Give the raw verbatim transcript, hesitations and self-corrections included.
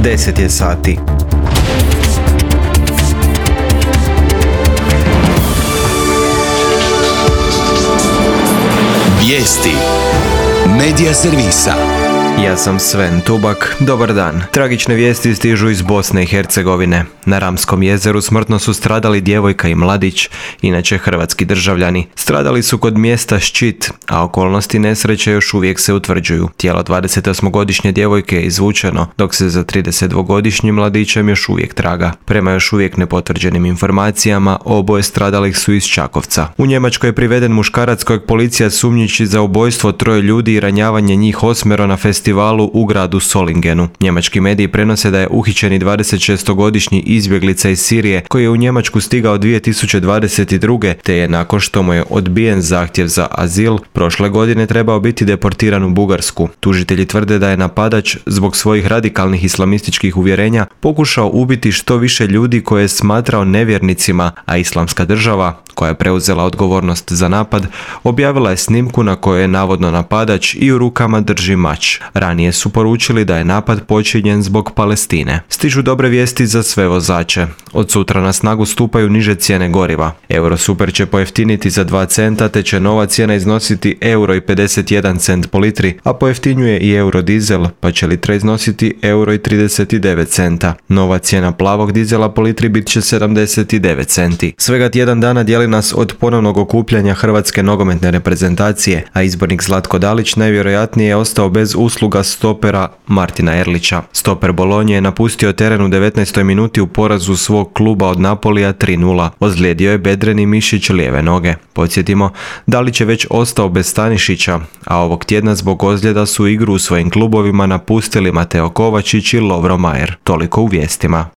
deset je sati. Vijesti Medija servisa. Ja sam Sven Tubak, dobar dan. Tragične vijesti stižu iz Bosne i Hercegovine. Na Ramskom jezeru smrtno su stradali djevojka i mladić, inače hrvatski državljani. Stradali su kod mjesta Ščit, a okolnosti nesreće još uvijek se utvrđuju. Tijelo dvadesetosmogodišnje djevojke je izvučeno, dok se za tridesetdvogodišnjim mladićem još uvijek traga. Prema još uvijek nepotvrđenim informacijama, oboje stradalih su iz Čakovca. U Njemačkoj je priveden muškarac kojeg policija sumnjiči za ubojstvo troje ljudi i ranjavanje njih osmero na festivalu u gradu Solingenu. Njemački mediji prenose da je uhićeni dvadesetšestogodišnji izbjeglica iz Sirije koji je u Njemačku stigao dvije tisuće dvadeset druge te je nakon što mu je odbijen zahtjev za azil prošle godine trebao biti deportiran u Bugarsku. Tužitelji tvrde da je napadač zbog svojih radikalnih islamističkih uvjerenja pokušao ubiti što više ljudi koje je smatrao nevjernicima, a Islamska država, koja je preuzela odgovornost za napad, objavila je snimku na kojoj je navodno napadač i u rukama drži mač. Ranije su poručili da je napad počinjen zbog Palestine. Stižu dobre vijesti za sve vozače. Od sutra na snagu stupaju niže cijene goriva. Eurosuper će pojeftiniti za dva centa, te će nova cijena iznositi euro i pedeset jedan cent po litri, a pojeftinjuje i eurodizel, pa će litra iznositi euro i trideset devet centa. Nova cijena plavog dizela po litri bit će sedamdeset devet centi. Svega tjedan dana dijeli nas od ponovnog okupljanja hrvatske nogometne reprezentacije, a izbornik Zlatko Dalić najvjerojatnije je ostao bez usluga stopera Martina Erlića. Stoper Bolonje je napustio teren u devetnaestoj minuti u porazu svog kluba od Napolija tri nula. Ozlijedio je bedreni mišić lijeve noge. Podsjetimo, Dalić je već ostao bez Stanišića, a ovog tjedna zbog ozljeda su igru u svojim klubovima napustili Mateo Kovačić i Lovro Majer. Toliko u vijestima.